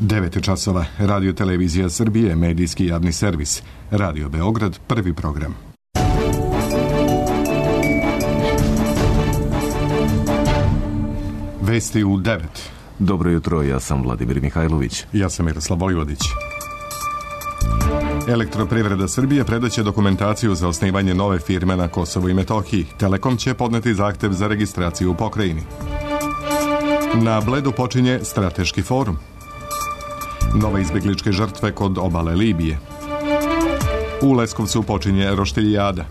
9 časova, Radio Televizija Srbije, medijski javni servis, Radio Beograd, prvi program. Vesti u 9. Dobro jutro, ja sam Vladimir Mihajlović. Ja sam Miroslav Vojvodić. Elektroprivreda Srbije predaće dokumentaciju za osnivanje nove firme na Kosovu i Metohiji. Telekom će podneti zahtev za registraciju u pokrajini. Na Bledu počinje strateški forum. Nove izbegličke žrtve kod obale Libije. U Leskovcu počinje roštiljada.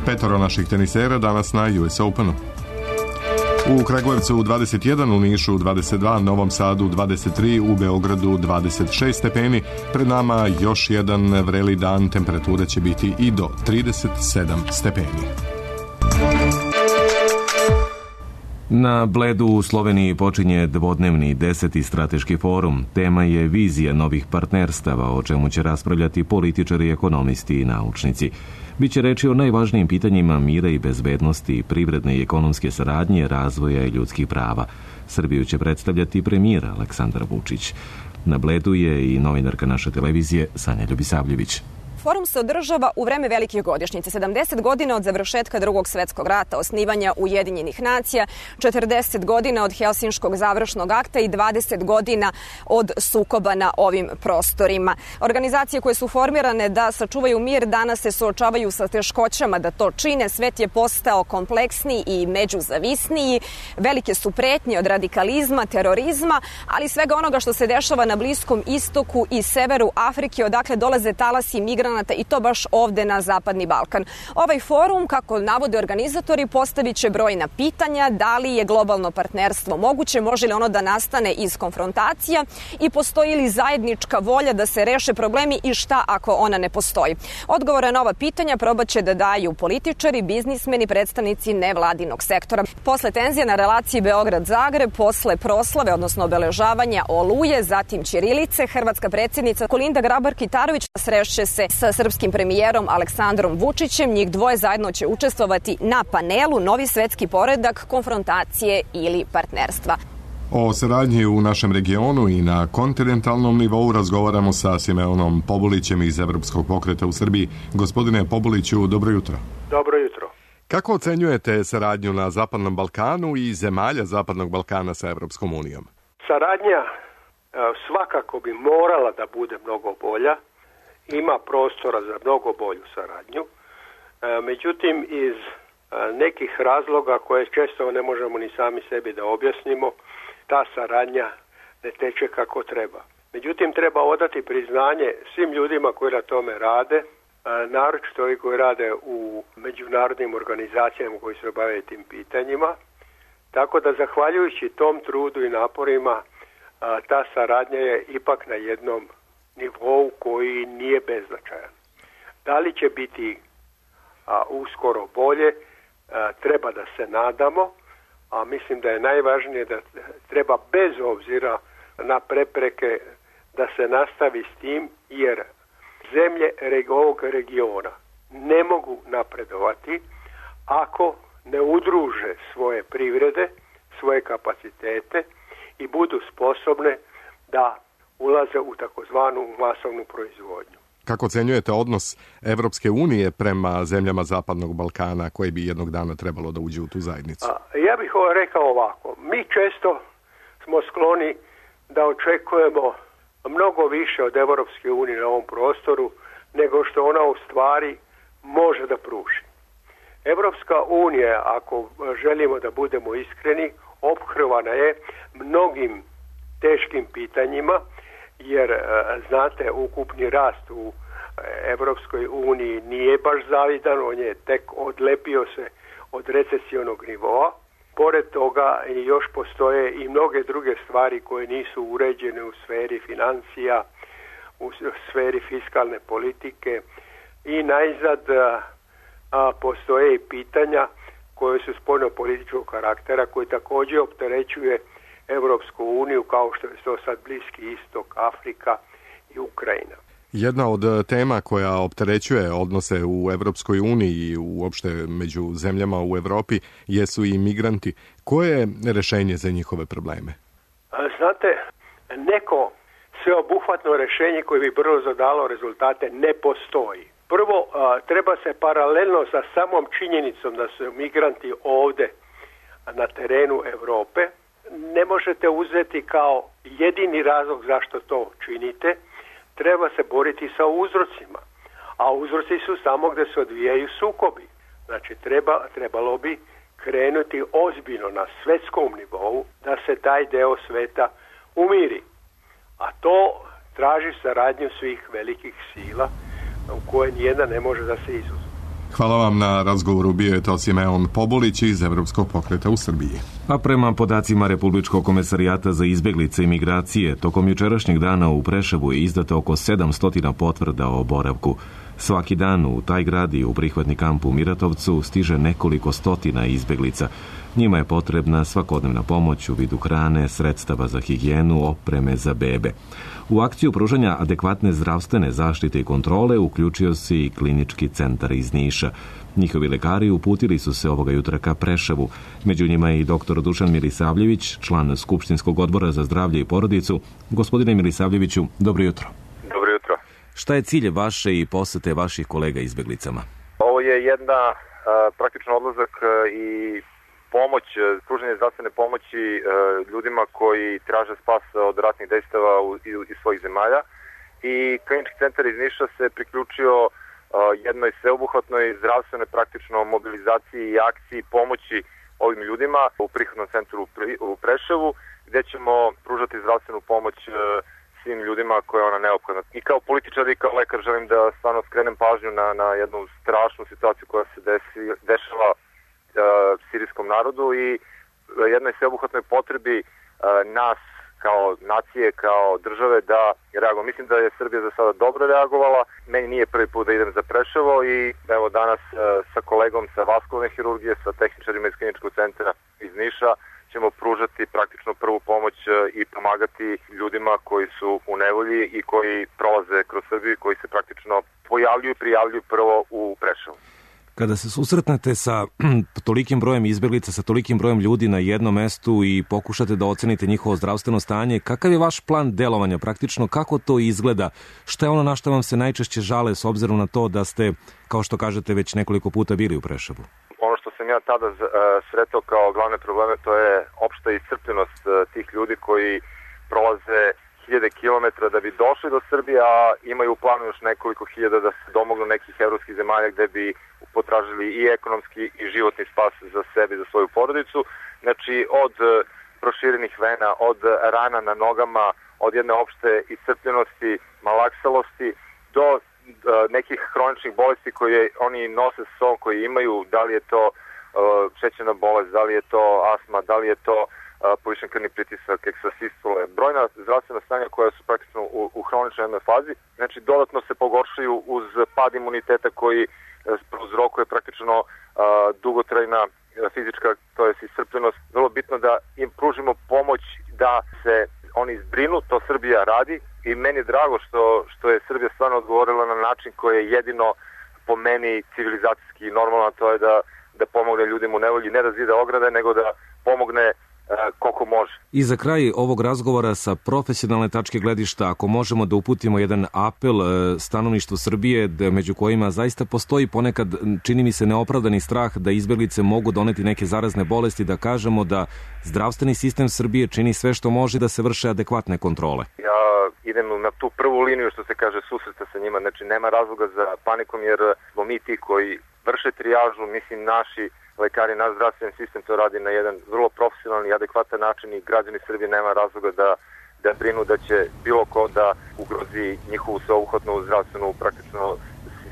5 naših tenisera danas na US Openu. U Kragujevcu 21, u Nišu 22, Novom Sadu 23, u Beogradu 26 stepeni. Pred nama još jedan vreli dan, temperatura će biti i do 37 stepeni. Na Bledu u Sloveniji počinje dvodnevni 10. strateški forum. Tema je vizija novih partnerstava, o čemu će raspravljati političari, ekonomisti i naučnici. Biće reči o najvažnijim pitanjima mira i bezbednosti, privredne i ekonomske saradnje, razvoja i ljudskih prava. Srbiju će predstavljati premijer Aleksandar Vučić. Na Bledu je i novinarka naše televizije Sanja Ljubisavljević. Forum se održava u vreme velikih godišnjica, 70 godina od završetka Drugog svjetskog rata, osnivanja Ujedinjenih nacija, 40 godina od Helsinškog završnog akta i 20 godina od sukoba na ovim prostorima. Organizacije koje su formirane da sačuvaju mir danas se suočavaju sa teškoćama da to čine. Svet je postao kompleksniji i međuzavisniji. Velike su pretnje od radikalizma, terorizma, ali svega onoga što se dešava na Bliskom istoku i severu Afrike, odakle dolaze talasi migranata, i to baš ovde na Zapadni Balkan. Ovaj forum, kako navode organizatori, postavit će brojna pitanja: da li je globalno partnerstvo moguće, može li ono da nastane iz konfrontacija i postoji li zajednička volja da se reše problemi i šta ako ona ne postoji. Odgovore na ova pitanja probat će da daju političari, biznismeni, predstavnici nevladinog sektora. Posle tenzije na relaciji Beograd-Zagreb, posle proslave, odnosno obeležavanja Oluje, zatim ćirilice, hrvatska predsjednica Kolinda Grabar-Kitarović srešće se sa srpskim premijerom Aleksandrom Vučićem. Njih dvoje zajedno će učestvovati na panelu Novi svetski poredak, konfrontacije ili partnerstva. O saradnji u našem regionu i na kontinentalnom nivou razgovaramo sa Simeonom Pobulićem iz Evropskog pokreta u Srbiji. Gospodine Pobuliću, dobro jutro. Dobro jutro. Kako ocenjujete saradnju na Zapadnom Balkanu i zemalja Zapadnog Balkana sa Evropskom unijom? Saradnja svakako bi morala da bude mnogo bolja. Ima prostora za mnogo bolju saradnju. Međutim, iz nekih razloga koje često ne možemo ni sami sebi da objasnimo, ta saradnja ne teče kako treba. Međutim, treba odati priznanje svim ljudima koji na tome rade, naročito ovi koji rade u međunarodnim organizacijama koji se bave tim pitanjima. Tako da, zahvaljujući tom trudu i naporima, ta saradnja je ipak na jednom nivou koji nije beznačajan. Da li će biti uskoro bolje, treba da se nadamo, a mislim da je najvažnije da treba bez obzira na prepreke da se nastavi s tim, jer zemlje ovog regiona ne mogu napredovati ako ne udruže svoje privrede, svoje kapacitete i budu sposobne da ulaze u takozvanu masovnu proizvodnju. Kako ocenjujete odnos Evropske unije prema zemljama Zapadnog Balkana koje bi jednog dana trebalo da uđe u tu zajednicu? Ja bih rekao ovako. Mi često smo skloni da očekujemo mnogo više od Evropske unije na ovom prostoru nego što ona u stvari može da pruži. Evropska unija, ako želimo da budemo iskreni, ophrvana je mnogim teškim pitanjima, jer znate, ukupni rast u Evropskoj uniji nije baš zavidan, on je tek odlepio se od recesivnog nivoa. Pored toga još postoje i mnoge druge stvari koje nisu uređene u sferi financija, u sferi fiskalne politike i najzad postoje i pitanja koje su spoljnopolitičkog karaktera, koje također opterećuje Evropsku uniju, kao što je to sad Bliski istok, Afrika i Ukrajina. Jedna od tema koja opterećuje odnose u Evropskoj uniji i uopšte među zemljama u Evropi jesu i migranti. Koje je rešenje za njihove probleme? Znate, neko sveobuhvatno rješenje koje bi brzo dalo rezultate ne postoji. Prvo, treba se paralelno sa samom činjenicom da su migranti ovdje na terenu Europe, ne možete uzeti kao jedini razlog zašto to činite, treba se boriti sa uzrocima. A uzroci su samo gdje se odvijaju sukobi. Znači, trebalo bi krenuti ozbiljno na svjetskom nivou da se taj deo sveta umiri. A to traži saradnju svih velikih sila u koje nijedna ne može da se izuzme. Hvala vam na razgovoru. Bio je to Simeon Pobulić iz Evropskog pokreta u Srbiji. A prema podacima Republičkog komesarijata za izbjeglice i migracije, tokom jučerašnjeg dana u Preševu je izdato oko 700 potvrda o boravku. Svaki dan u taj grad i u prihvatni kamp u Miratovcu stiže nekoliko stotina izbjeglica. Njima je potrebna svakodnevna pomoć u vidu hrane, sredstava za higijenu, opreme za bebe. U akciju pružanja adekvatne zdravstvene zaštite i kontrole uključio se i klinički centar iz Niša. Njihovi lekari uputili su se ovoga jutra ka Preševu. Među njima je i dr. Dušan Milisavljević, član Skupštinskog odbora za zdravlje i porodicu. Gospodine Milisavljeviću, dobro jutro. Dobro jutro. Šta je cilj vaše i posete vaših kolega izbjeglicama? Ovo je jedna praktično odlazak i pomoć, pružanje zdravstvene pomoći ljudima koji traže spas od ratnih dejstava iz svojih zemalja. I klinički centar iz Niša se priključio jednoj sveobuhvatnoj zdravstvenoj praktično mobilizaciji i akciji pomoći ovim ljudima u prihvatnom centru u Preševu, gdje ćemo pružati zdravstvenu pomoć svim ljudima koja je ona neophodna. I kao političar i kao lekar želim da stvarno skrenem pažnju na jednu strašnu situaciju koja se dešava sirijskom narodu i jednoj sveobuhvatnoj potrebi nas kao nacije, kao države da reagujemo. Mislim da je Srbija za sada dobro reagovala. Meni nije prvi put da idem za Preševo i evo danas sa kolegom sa vaskularne hirurgije, sa tehničarima iz kliničkog centra iz Niša ćemo pružati praktično prvu pomoć i pomagati ljudima koji su u nevolji i koji prolaze kroz Srbiju, koji se praktično pojavljuju i prijavljuju prvo u Preševu. Kada se susretnete sa tolikim brojem izbjeglica, sa tolikim brojem ljudi na jednom mestu i pokušate da ocenite njihovo zdravstveno stanje, kakav je vaš plan delovanja praktično, kako to izgleda? Šta je ono na što vam se najčešće žale s obzirom na to da ste, kao što kažete, već nekoliko puta bili u Preševu? Ono što sam ja tada sretao kao glavne probleme, to je opšta iscrpljenost tih ljudi koji prolaze 1000 kilometara da bi došli do Srbije, a imaju u planu još nekoliko hiljada da se domognu nekih evropskih zemalja gde bi potražili i ekonomski i životni spas za sebe i za svoju porodicu. Znači, od proširenih vena, od rana na nogama, od jedne opšte iscrpljenosti, malaksalosti, do nekih hroničnih bolesti koje oni nose s sobom, koji imaju, da li je to šećerna bolest, da li je to astma, da li je to povišen krvni pritisak, eksasistole, brojna zdravstvena stanja koja su praktično u hroničnoj jednoj fazi. Znači, dodatno se pogoršaju uz pad imuniteta koji prouzrokuje praktično dugotrajna fizička, to je iscrpljenost. Vrlo bitno da im pružimo pomoć da se oni zbrinu, to Srbija radi i meni je drago što je Srbija stvarno odgovorila na način koji je jedino po meni civilizacijski normalno, to je da pomogne ljudima u nevolji, ne da zide ograde, nego da pomogne koliko može. I za kraj ovog razgovora sa profesionalne tačke gledišta, ako možemo da uputimo jedan apel stanovništvu Srbije, među kojima zaista postoji ponekad, čini mi se, neopravdani strah da izbjeglice mogu doneti neke zarazne bolesti, da kažemo da zdravstveni sistem Srbije čini sve što može da se vrše adekvatne kontrole. Ja idem na tu prvu liniju, što se kaže, susreta sa njima. Znači, nema razloga za panikom, jer smo mi ti koji vrše trijažu, mislim, naši lekari, naš zdravstveni sistem to radi na jedan vrlo profesionalni i adekvatan način i građani Srbije nema razloga da brinu da će bilo ko da ugrozi njihovu sveobuhvatnu zdravstvenu praktično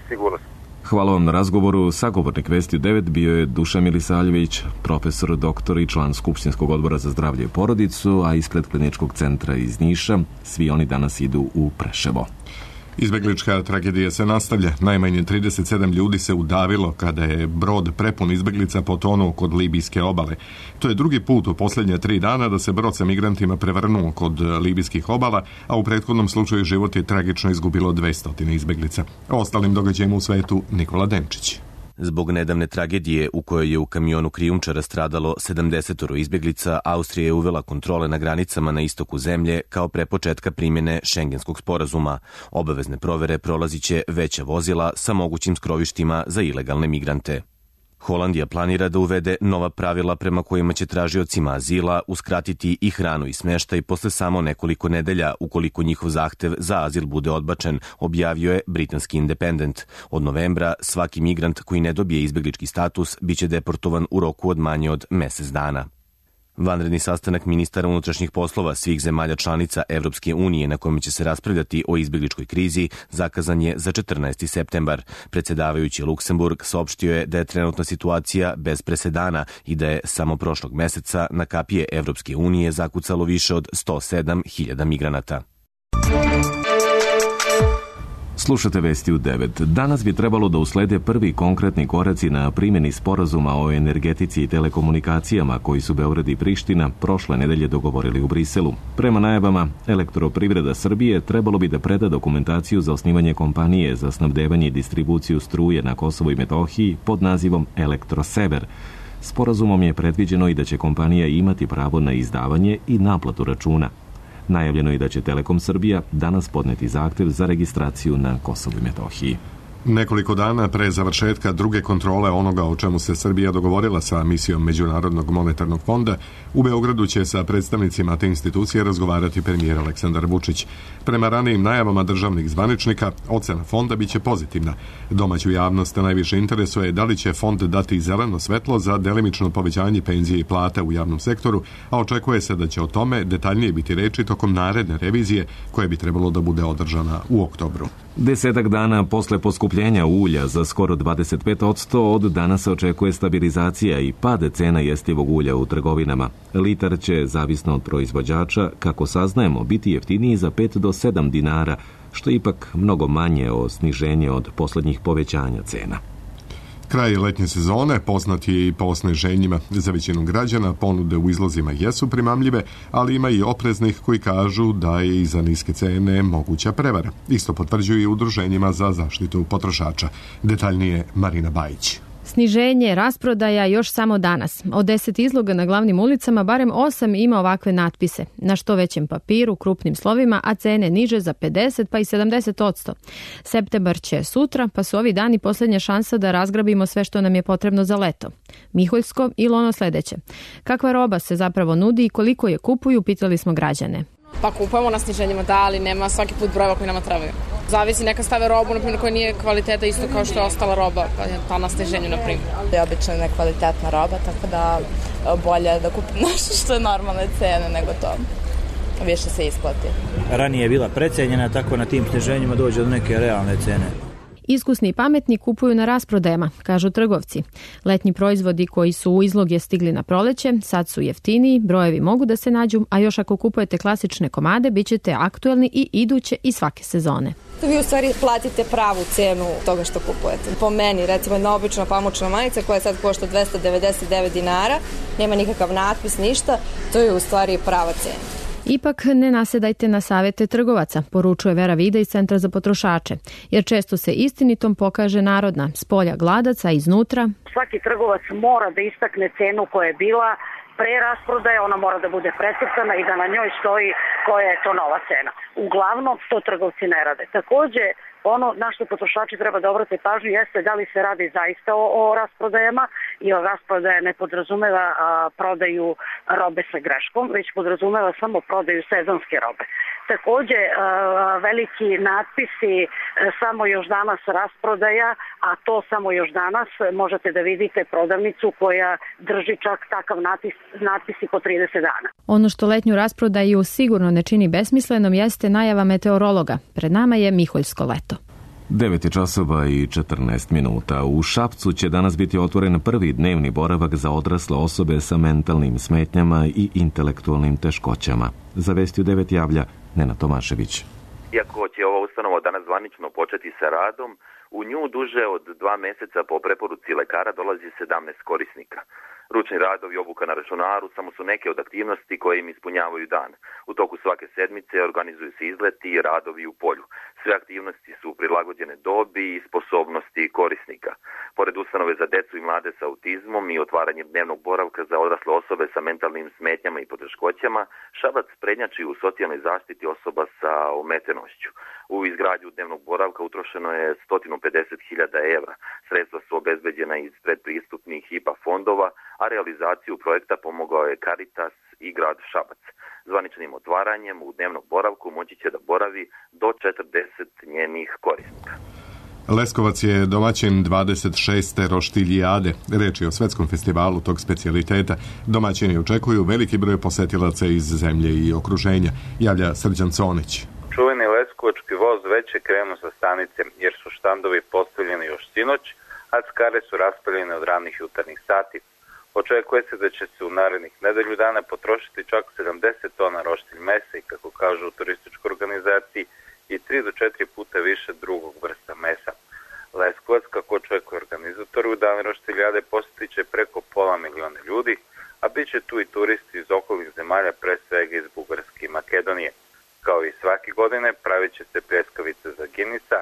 sigurnost. Hvala vam na razgovoru. Sagovornik Vesti 9 bio je Dušan Milisavljević, profesor, doktor i član Skupštinskog odbora za zdravlje i porodicu, a ispred kliničkog centra iz Niša. Svi oni danas idu u Preševo. Izbjeglička tragedija se nastavlja. Najmanje 37 ljudi se udavilo kada je brod prepun izbjeglica potonuo kod libijske obale. To je drugi put u posljednje 3 dana da se brod sa migrantima prevrnuo kod libijskih obala, a u prethodnom slučaju život je tragično izgubilo 200 izbjeglica. O ostalim događajima u svetu Nikola Denčić. Zbog nedavne tragedije u kojoj je u kamionu krijumčara stradalo 70 izbjeglica, Austrija je uvela kontrole na granicama na istoku zemlje kao pre početka primjene Šengenskog sporazuma. Obavezne provere prolaziće veća vozila sa mogućim skrovištima za ilegalne migrante. Holandija planira da uvede nova pravila prema kojima će tražiocima azila uskratiti i hranu i smještaj posle samo nekoliko nedelja ukoliko njihov zahtev za azil bude odbačen, objavio je britanski Independent. Od novembra svaki migrant koji ne dobije izbjeglički status biće deportovan u roku od manje od mesec dana. Vanredni sastanak ministara unutrašnjih poslova svih zemalja članica Evropske unije na kojem će se raspravljati o izbjegličkoj krizi zakazan je za 14. septembar. Predsjedavajući Luksemburg saopštio je da je trenutna situacija bez presedana i da je samo prošlog meseca na kapije Evropske unije zakucalo više od 107.000 migranata. Slušate vesti u 9. Danas bi trebalo da uslede prvi konkretni koraci na primjeni sporazuma o energetici i telekomunikacijama koji su Beograd i Priština prošle nedelje dogovorili u Briselu. Prema najavama, Elektroprivreda Srbije trebalo bi da preda dokumentaciju za osnivanje kompanije za snabdevanje i distribuciju struje na Kosovu i Metohiji pod nazivom Elektrosever. Sporazumom je predviđeno i da će kompanija imati pravo na izdavanje i naplatu računa. Najavljeno je da će Telekom Srbija danas podneti zahtev za registraciju na Kosovu i Metohiji. Nekoliko dana pre završetka druge kontrole onoga o čemu se Srbija dogovorila sa misijom Međunarodnog monetarnog fonda, u Beogradu će sa predstavnicima te institucije razgovarati premijer Aleksandar Vučić. Prema ranijim najavama državnih zvaničnika, ocena fonda biće pozitivna. Domaću javnost najviše interesuje da li će fond dati zeleno svetlo za delimično povećanje penzije i plata u javnom sektoru, a očekuje se da će o tome detaljnije biti reči tokom naredne revizije koje bi trebalo da bude održana u oktobru. 10 dana posle poskupljenja ulja za skoro 25%, od danas se očekuje stabilizacija i pade cena jestivog ulja u trgovinama. Litar će, zavisno od proizvođača, kako saznajemo, biti jeftiniji za 5 do 7 dinara, što je ipak mnogo manje od sniženja od poslednjih povećanja cena. Kraj letnje sezone poznat je i po sniženjima. Za većinu građana ponude u izlozima jesu primamljive, ali ima i opreznih koji kažu da je i za niske cene moguća prevara. Isto potvrđuju i udruženjima za zaštitu potrošača. Detaljnije Marina Bajić. Sniženje, rasprodaja još samo danas. Od 10 izloga na glavnim ulicama barem 8 ima ovakve natpise. Na što većem papiru, krupnim slovima, a cene niže za 50 pa i 70%. Septembar će sutra, pa su ovi dani posljednja šansa da razgrabimo sve što nam je potrebno za leto. Miholjsko ili ono sledeće. Kakva roba se zapravo nudi i koliko je kupuju, pitali smo građane. Pa kupujemo na sniženjima, da, ali nema svaki put brojeva koji nama trebaju. Zavisi, neka stave robu, naprimjer, koja nije kvaliteta isto kao što je ostala roba, pa na sniženju, naprimjer. Je obično nekvalitetna roba, tako da bolje da kupim nešto što je normalne cene nego to. Više se isplati. Ranije je bila precenjena, tako na tim sniženjima dođe do neke realne cene. Iskusni i pametni kupuju na rasprodajama, kažu trgovci. Letnji proizvodi koji su u izloge stigli na proleće, sad su jeftiniji, brojevi mogu da se nađu, a još ako kupujete klasične komade, bit ćete aktuelni i iduće i svake sezone. Vi u stvari platite pravu cenu toga što kupujete. Po meni, recimo jedna obična pamučna majica koja sad košta 299 dinara, nema nikakav natpis, ništa, to je u stvari prava cena. Ipak ne nasedajte na savjete trgovaca, poručuje Vera Vida iz Centra za potrošače, jer često se istinitom pokaže narodna, spolja gladaca, iznutra. Svaki trgovac mora da istakne cenu koja je bila pre rasprodaje, ona mora da bude precrtana i da na njoj stoji koja je to nova cena. Uglavnom to trgovci ne rade. Takođe, ono na što potrošači treba da obrate pažnju jeste da li se radi zaista o rasprodajama i rasprodaja ne podrazumeva prodaju robe sa greškom, već podrazumeva samo prodaju sezonske robe. Takođe, veliki natpisi samo još danas rasprodaja, a to samo još danas možete da vidite prodavnicu koja drži čak takav natpis i po 30 dana. Ono što letnju rasprodaju sigurno ne čini besmislenom jeste najava meteorologa. Pred nama je Miholjsko leto. 9:14. U Šapcu će danas biti otvoren prvi dnevni boravak za odrasle osobe sa mentalnim smetnjama i intelektualnim teškoćama. Za Vesti u 9 javlja Nenad Tomašević. Iako će ova ustanova danas zvanično početi sa radom, u nju duže od 2 meseca po preporuci lekara dolazi 17 korisnika. Ručni radovi, obuka na računaru samo su neke od aktivnosti koje im ispunjavaju dan. U toku svake sedmice organizuju se izleti i radovi u polju. Sve aktivnosti su prilagođene dobi i sposobnosti korisnika. Pored ustanove za decu i mlade sa autizmom i otvaranjem dnevnog boravka za odrasle osobe sa mentalnim smetnjama i poteškoćama, Šabac prednjači u socijalnoj zaštiti osoba sa ometenošću. U izgradnju dnevnog boravka utrošeno je 150.000 evra. Sredstva su obezbeđena iz predpristupnih IPA fondova, a realizaciju projekta pomogao je Caritas i grad Šabac. Zvaničnim otvaranjem u dnevnog boravku moći će da boravi do 40 njenih korisnika. Leskovac je domaćin 26. Roštiljijade. Reč je o svetskom festivalu tog specijaliteta. Domaćini očekuju veliki broj posetilaca iz zemlje i okruženja, javlja Srđan Conić. Čuveni leskovački voz već je krenuo sa stanice jer su štandovi postavljeni još sinoć, a skare su raspaljene od ranih jutarnjih sati. Očekuje se da će se u narednih nedelju dana potrošiti čak 70 tona roštilj mesa i, kako kažu u turističkoj organizaciji, i 3 do 4 puta više drugog vrsta mesa. Leskovac, kako očekuje organizator, u dan roštiljade posjetit će preko 500.000 ljudi, a bit će tu i turisti iz okolnih zemalja, pre svega iz Bugarske i Makedonije. Kao i svake godine, pravit će se pljeskavice za Ginisa,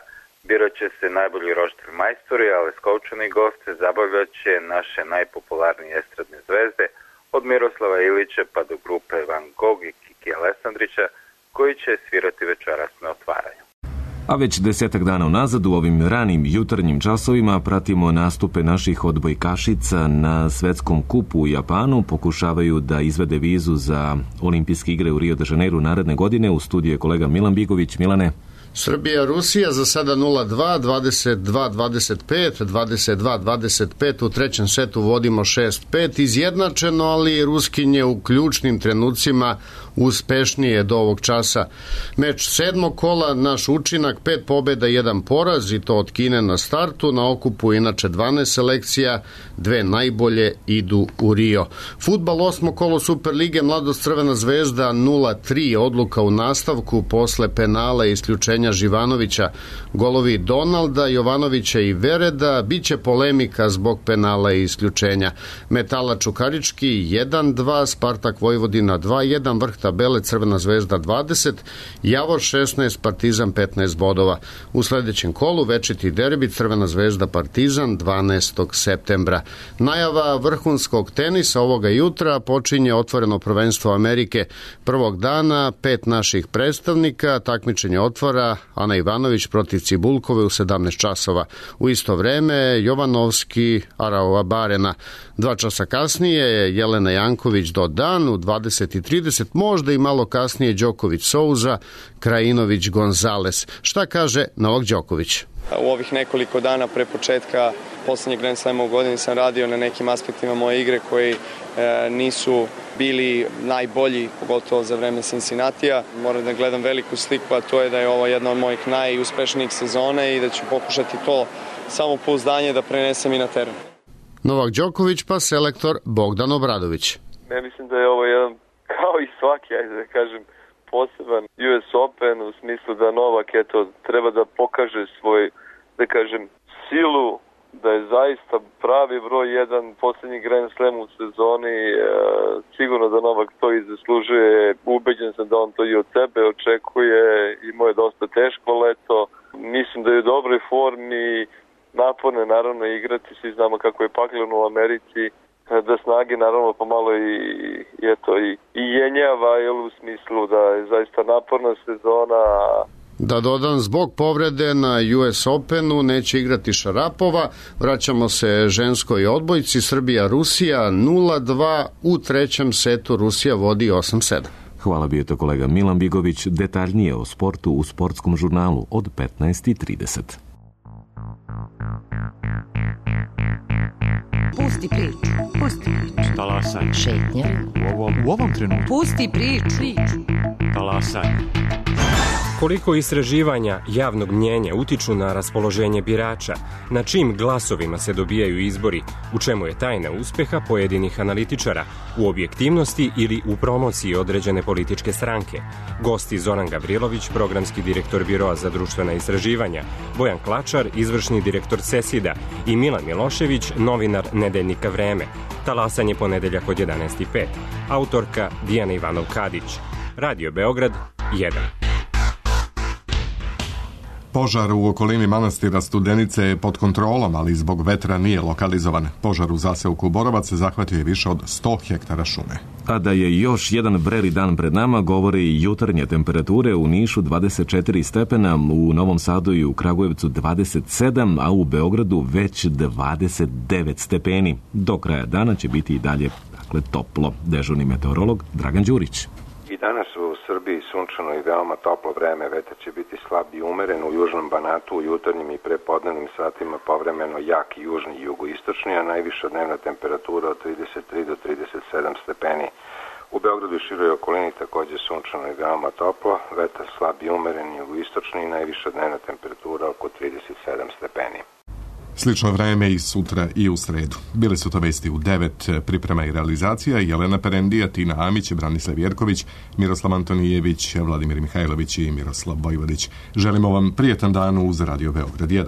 birat će se najbolji roštilj majstori, a leskovčani goste zabavljat će naše najpopularnije estradne zvezde, od Miroslava Ilića pa do grupe Van Gogh i Kiki Alessandrića, koji će svirati večeras na otvaranju. A već 10 dana unazad u ovim ranim jutarnjim časovima pratimo nastupe naših odbojkašica na svetskom kupu u Japanu. Pokušavaju da izvede vizu za olimpijske igre u Rio de Janeiru naredne godine. U studiju je kolega Milan Bigović. Milane. Srbija, Rusija za sada 0-2, 22-25, 22-25, u trećem setu vodimo 6-5, izjednačeno, ali Ruskinje u ključnim trenucima uspešnije do ovog časa. Meč 7. kola, naš učinak, 5 pobjeda, 1 poraz, i to od Kine na startu, na okupu inače 12 selekcija, 2 najbolje idu u Rio. Fudbal 8. kolo Superlige, Mladost Crvena zvezda 0-3, odluka u nastavku posle penala i isključenja Živanovića, golovi Donalda, Jovanovića i Vereda, biće polemika zbog penala i isključenja. Metala Čukarički 1-2, Spartak Vojvodina 2-1, vrh tabele Crvena zvezda 20, Javor 16, Partizan 15 bodova. U sledećem kolu večiti derbi Crvena zvezda Partizan 12. septembra. Najava vrhunskog tenisa ovoga jutra, počinje otvoreno prvenstvo Amerike. Prvog dana 5 naših predstavnika, takmičenje otvara Ana Ivanović protiv Cibulkove u 17 časova. U isto vreme Jovanovski Araova Barena. 2 časa kasnije Jelena Janković Dodan, u 20:30, možda i malo kasnije Đoković Souza, Krajinović Gonzales. Šta kaže Novak Đoković? U ovih nekoliko dana pre početka poslednjeg Grand Slama u godini sam radio na nekim aspektima moje igre koji nisu bili najbolji, pogotovo za vreme Cincinnatija. Moram da gledam veliku sliku, a to je da je ovo jedna od mojih najuspešnijih sezone i da ću pokušati to samopouzdanje da prenesem i na teren. Novak Đoković pa selektor Bogdan Obradović. Ja mislim da je ovo jedan, kao i svaki, ajde da kažem, poseban US Open, u smislu da Novak treba da pokaže svoj, da kažem, silu, da je zaista pravi broj 1 poslednji Grand Slam u sezoni. Sigurno da Novak to i zaslužuje. Ubeđen sam da on to i od sebe očekuje. Imao je dosta teško leto. Mislim da je u dobroj formi, naporne naravno igrati. Svi znamo kako je pakleno u Americi. Da snage naravno pomalo i jenjava, u smislu da je zaista naporna sezona. Da dodam, zbog povrede na US Openu neće igrati Šarapova. Vraćamo se ženskoj odbojci. Srbija-Rusija 0-2, u trećem setu Rusija vodi 8-7. Hvala, bio to kolega Milan Bigović. Detaljnije o sportu u Sportskom žurnalu od 15:30. Pusti priču, pusti priču. Talasaj. Šetnja. U ovom trenutku. Pusti priču. Talasaj. Koliko istraživanja javnog mnjenja utiču na raspoloženje birača, na čim glasovima se dobijaju izbori, u čemu je tajna uspeha pojedinih analitičara, u objektivnosti ili u promociji određene političke stranke. Gosti Zoran Gavrilović, programski direktor Biroa za društvena istraživanja, Bojan Klačar, izvršni direktor CESID-a i Milan Milošević, novinar nedeljnika Vreme. Talasanje ponedeljak od 11:05. Autorka Dijana Ivanov-Kadić. Radio Beograd 1. Požar u okolini manastira Studenice je pod kontrolom, ali zbog vetra nije lokalizovan. Požar u zaseoku Borovac zahvatio je više od 100 hektara šume. A da je još jedan vreli dan pred nama, govore i jutarnje temperature. U Nišu 24 stepena, u Novom Sadu i u Kragujevcu 27, a u Beogradu već 29 stepeni. Do kraja dana će biti i dalje toplo. Dežurni meteorolog Dragan Đurić. I danas u Srbiji sunčano i veoma toplo vreme, vetar će biti slab i umeren u južnom Banatu, u jutarnjim i prepodnevnim satima povremeno jak južni i jugoistočni, a najviša dnevna temperatura od 33 do 37 stepeni. U Beogradu i široj okolini takođe sunčano i veoma toplo, vetar slab i umeren jugoistočni i najviša dnevna temperatura oko 37 stepeni. Slično vreme i sutra i u sredu. Bile su to vesti u 9, priprema i realizacija, Jelena Perendija, Tina Amić, Branislav Jerković, Miroslav Antonijević, Vladimir Mihajlović i Miroslav Vojvodić. Želimo vam prijetan dan uz Radio Beograd 1.